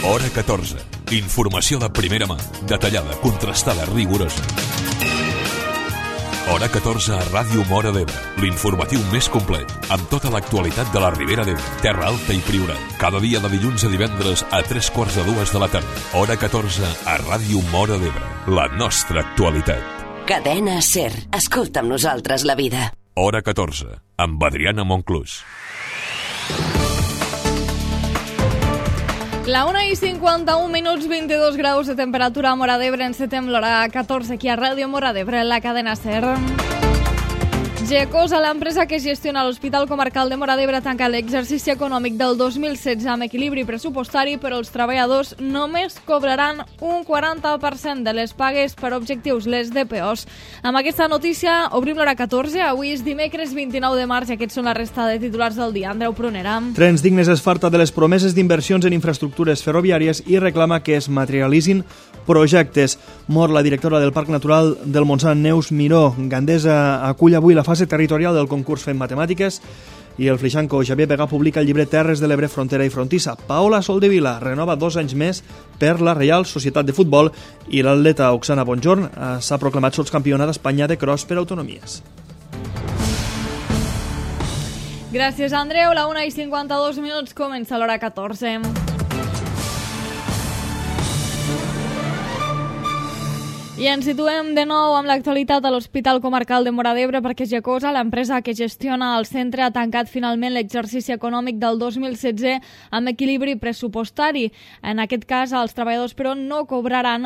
Hora 14. Informació de primera mà, detallada, contrastada, rigorosa. Hora 14 a Ràdio Móra d'Ebre, l'informatiu més complet, amb tota l'actualitat de la Ribera d'Ebre, Terra Alta i Priorat. Cada dia de dilluns a divendres a 3:45 de la tarda. Hora 14 a Ràdio Móra d'Ebre, la nostra actualitat. Cadena SER. Escolta amb nosaltres la vida. Hora 14, amb Adriana Monclús. La 1:51, 22 graus de temperatura a Móra d'Ebre. Encetem l'hora 14 aquí a Ràdio Móra d'Ebre, la cadena SER. Gecosa, l'empresa que gestiona l'Hospital Comarcal de Móra d'Ebre, tanca l'exercici econòmic del 2016 amb equilibri pressupostari, però els treballadors només cobraran un 40% de les pagues per objectius, les DPOs. Amb aquesta notícia obrim l'hora 14. Avui és dimecres 29 de març i aquests són la resta de titulars del dia. Andreu Prunera. Trens Dignes es farta de les promeses d'inversions en infraestructures ferroviàries i reclama que es materialitzin projectes. Mor la directora del Parc Natural del Montsant, Neus Miró. Gandesa acull avui la fase territorial del concurs Fem Matemàtiques i el flixanco Xavier Pegà publica el llibre Terres de l'Ebre, Frontera i Frontissa. Paola Soldevila renova 2 anys més per la Reial Societat de Futbol i l'atleta Oksana Bonjorn s'ha proclamat sotscampiona d'Espanya de cross per autonomies. Gràcies, Andreu. La 1:52 comença l'hora 14. I ens situem de nou amb l'actualitat a l'Hospital Comarcal de Móra d'Ebre perquè Gecosa, l'empresa que gestiona el centre, ha tancat finalment l'exercici econòmic del 2016 amb equilibri pressupostari. En aquest cas, els treballadors, però, no cobraran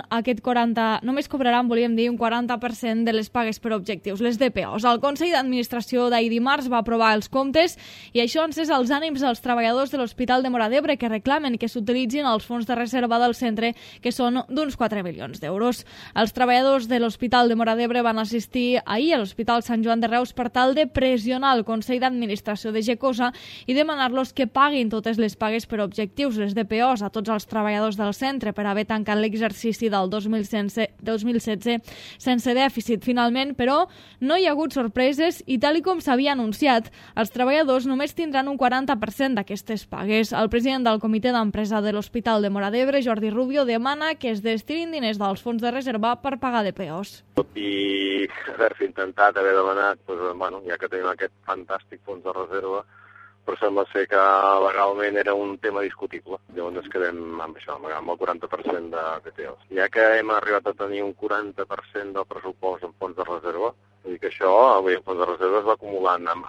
només cobraran, volíem dir, un 40% de les pagues per objectius, les DPOs. El Consell d'Administració d'ahir dimarts va aprovar els comptes i això ha encès els ànims dels treballadors de l'Hospital de Móra d'Ebre que reclamen que s'utilitzin els fons de reserva del centre, que són d'uns 4 milions d'euros. Els treballadors de l'Hospital de Móra d'Ebre van assistir ahir a l'Hospital Sant Joan de Reus per tal de pressionar el Consell d'Administració de Gecosa i demanar-los que paguin totes les pagues per objectius, les DPOs, a tots els treballadors del centre per haver tancat l'exercici del 2016 sense dèficit. Finalment, però, no hi ha hagut sorpreses i, tal com s'havia anunciat, els treballadors només tindran un 40% d'aquestes pagues. El president del comitè d'empresa de l'Hospital de Móra d'Ebre, Jordi Rubio, demana que es destinin diners dels fons de reserva per pagar DPOs. Tot i haver-se intentat, haver demanat, ja que tenim aquest fantàstic fons de reserva, però sembla ser que legalment era un tema discutible. Llavors ens quedem amb això, amb el 40% de DPOs. Ja que hem arribat a tenir un 40% del pressupost en fons de reserva, vull dir que això, avui el fons de reserva es va acumulant amb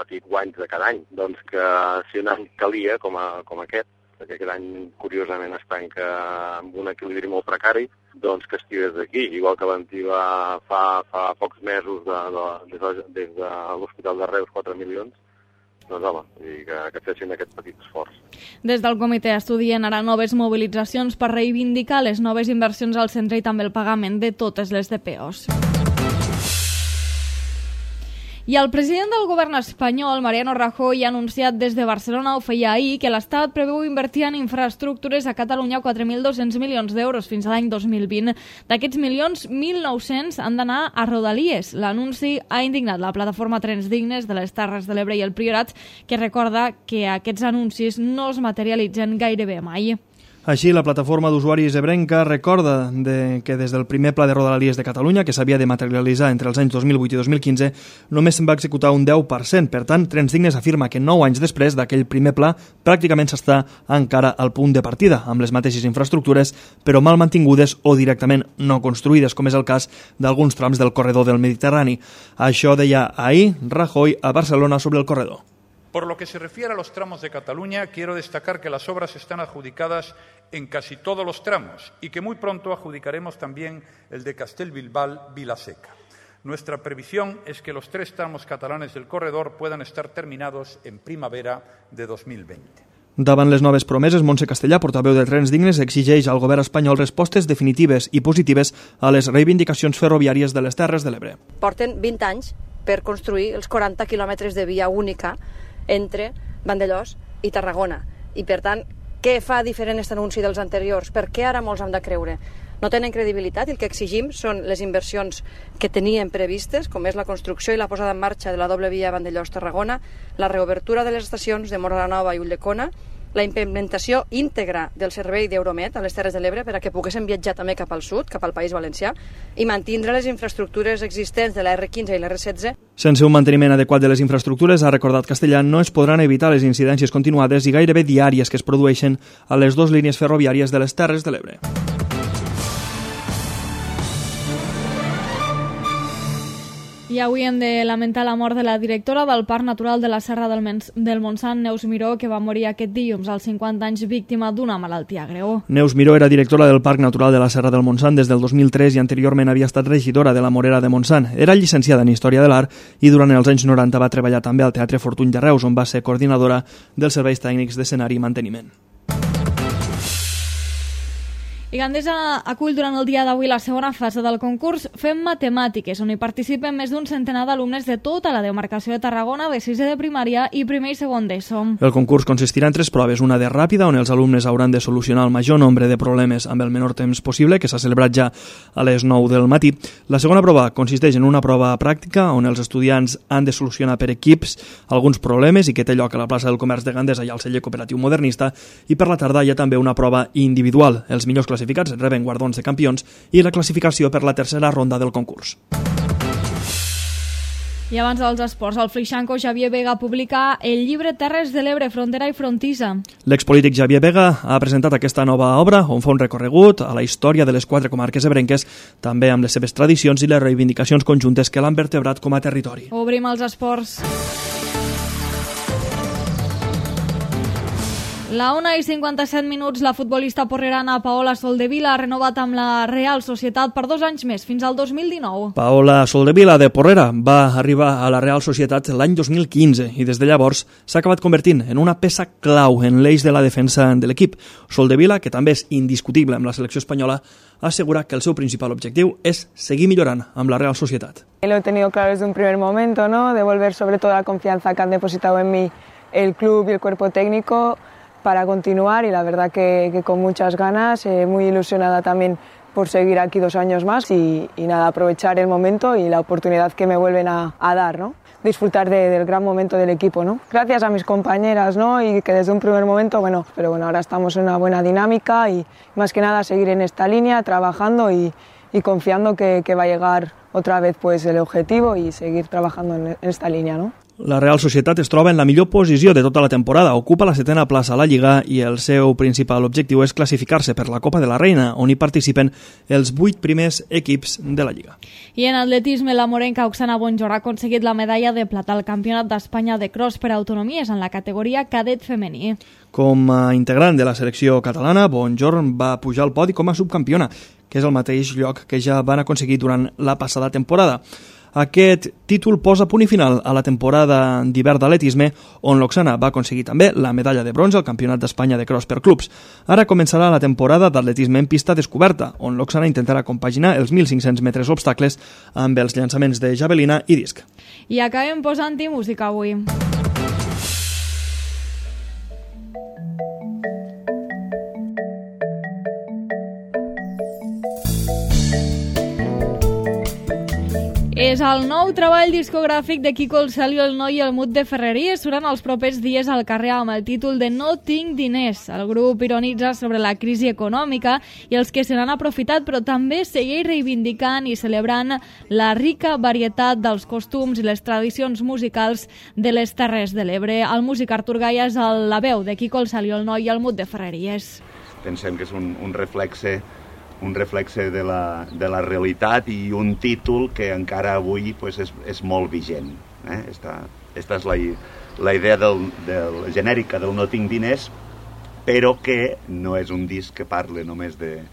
petits guanys de cada any. Doncs que si un any calia, com aquest, que aquest any, curiosament, es tanca amb un equilibri molt precari, doncs que estigués d'aquí. Igual que l'Antí va fa pocs mesos des de l'Hospital de Reus 4 milions, doncs home, que fessin aquest petit esforç. Des del comitè estudien ara noves mobilitzacions per reivindicar les noves inversions al centre i també el pagament de totes les DPOs. I el president del govern espanyol, Mariano Rajoy, ha anunciat des de Barcelona, ho feia ahir, que l'Estat preveu invertir en infraestructures a Catalunya 4.200 milions d'euros fins a l'any 2020. D'aquests milions, 1.900 han d'anar a Rodalies. L'anunci ha indignat la plataforma Trens Dignes de les Terres de l'Ebre i el Priorat, que recorda que aquests anuncis no es materialitzen gairebé mai. Així, la plataforma d'usuaris ebrenca recorda que des del primer pla de Rodalies de Catalunya, que s'havia de materialitzar entre els anys 2008 i 2015, només se'n va executar un 10%. Per tant, Trens Dignes afirma que 9 anys després d'aquell primer pla pràcticament s'està encara al punt de partida, amb les mateixes infraestructures, però mal mantingudes o directament no construïdes, com és el cas d'alguns trams del corredor del Mediterrani. Això deia ahir Rajoy a Barcelona sobre el corredor. Por lo que se refiere a los tramos de Cataluña, quiero destacar que las obras están adjudicadas en casi todos los tramos y que muy pronto adjudicaremos también el de Castellbilbao-Vilaseca. Nuestra previsión es que los 3 tramos catalanes del corredor puedan estar terminados en primavera de 2020. Davant les noves promeses, Montse Castellà, portaveu de Trens Dignes, exigeix al govern espanyol respostes definitives i positives a les reivindicacions ferroviàries de les Terres de l'Ebre. Porten 20 anys per construir els 40 quilòmetres de via única entre Vandellòs i Tarragona. I, per tant, què fa diferent aquest anunci dels anteriors? Per què ara molts han de creure? No tenen credibilitat i el que exigim són les inversions que tenien previstes, com és la construcció i la posada en marxa de la doble via Vandellòs-Tarragona, la reobertura de les estacions de Móra la Nova i Ulldecona la implementació íntegra del servei d'Euromed a les Terres de l'Ebre per a que poguessin viatjar també cap al sud, cap al País Valencià, i mantindre les infraestructures existents de la R15 i la R16. Sense un manteniment adequat de les infraestructures, ha recordat Castellà, no es podran evitar les incidències continuades i gairebé diàries que es produeixen a les dues línies ferroviàries de les Terres de l'Ebre. I avui hem de lamentar la mort de la directora del Parc Natural de la Serra del Montsant, Neus Miró, que va morir aquest dilluns als 50 anys víctima d'una malaltia greu. Neus Miró era directora del Parc Natural de la Serra del Montsant des del 2003 i anteriorment havia estat regidora de la Morera de Montsant. Era llicenciada en Història de l'Art i durant els anys 90 va treballar també al Teatre Fortuny de Reus, on va ser coordinadora dels serveis tècnics d'escenari i manteniment. I Gandesa acull durant el dia d'avui la segona fase del concurs Fem Matemàtiques, on hi participen més d'un centenar d'alumnes de tota la demarcació de Tarragona, de 6è de primària i primer i segon d'ESO. El concurs consistirà en 3 proves, una de ràpida, on els alumnes hauran de solucionar el major nombre de problemes amb el menor temps possible, que s'ha celebrat ja a les 9 del matí. La segona prova consisteix en una prova pràctica, on els estudiants han de solucionar per equips alguns problemes i que té lloc a la plaça del Comerç de Gandesa i al celler cooperatiu modernista, i per la tarda hi ha també una prova individual. Els millors classificats reben guardons de campions i la classificació per la tercera ronda del concurs. I abans dels esports, el Freixanco Xavier Vega publica el llibre Terres de l'Ebre, Frontera i Frontissa. L'expolític Xavier Vega ha presentat aquesta nova obra on fa un recorregut a la història de les 4 comarques ebrenques, també amb les seves tradicions i les reivindicacions conjuntes que l'han vertebrat com a territori. Obrim els esports. La 1:57, la futbolista porrerana Paola Soldevila ha renovat amb la Real Societat per 2 anys més, fins al 2019. Paola Soldevila, de Porrera, va arribar a la Real Societat l'any 2015 i des de llavors s'ha acabat convertint en una peça clau en l'eix de la defensa de l'equip. Soldevila, que també és indiscutible amb la selecció espanyola, asegura que el seu principal objectiu és seguir millorant amb la Real Societat. Lo he tenido claro desde un primer momento, ¿no? Devolver sobre todo la confianza que han depositado en mí el club y el cuerpo técnico para continuar, y la verdad que con muchas ganas, muy ilusionada también por seguir aquí 2 años más y nada, aprovechar el momento y la oportunidad que me vuelven a dar, ¿no? Disfrutar del gran momento del equipo, ¿no? Gracias a mis compañeras, ¿no? Y que desde un primer momento, pero ahora estamos en una buena dinámica y más que nada seguir en esta línea, trabajando y confiando que va a llegar otra vez pues el objetivo y seguir trabajando en esta línea, ¿no? La Real Societat es troba en la millor posició de tota la temporada, ocupa la 7a plaça a la Lliga i el seu principal objectiu és classificar-se per la Copa de la Reina, on hi participen els 8 primers equips de la Lliga. I en atletisme, la morenca Oksana Bonjor ha aconseguit la medalla de plata al Campionat d'Espanya de cross per autonomies en la categoria cadet femení. Com a integrant de la selecció catalana, Bonjor va pujar al podi com a subcampiona, que és el mateix lloc que ja van aconseguir durant la passada temporada. Aquest títol posa punt i final a la temporada d'hivern d'atletisme, on l'Oksana va aconseguir també la medalla de bronze al Campionat d'Espanya de cross per clubs. Ara començarà la temporada d'atletisme en pista descoberta, on l'Oksana intentarà compaginar els 1.500 metres obstacles amb els llançaments de javelina i disc. I acabem posant-hi música avui. És el nou treball discogràfic de Quico el Cel i el Noi i el Mut de Ferreries. Suran els propers dies al carrer amb el títol de No tinc diners. El grup ironitza sobre la crisi econòmica i els que se n'han aprofitat, però també segueix reivindicant i celebrant la rica varietat dels costums i les tradicions musicals de les Terres de l'Ebre. El músic Artur Gaia és la veu de Quico el Cel i el Noi i el Mut de Ferreries. Pensem que és un reflexe de la realitat i un títol que encara avui pues, és molt vigent. Esta és la idea genèrica del No tinc diners, però que no és un disc que parle només de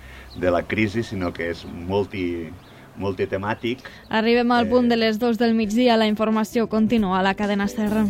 la crisi, sinó que és multitemàtic. Arribem al punt de les 2 del migdia, la informació continua a la cadena SER.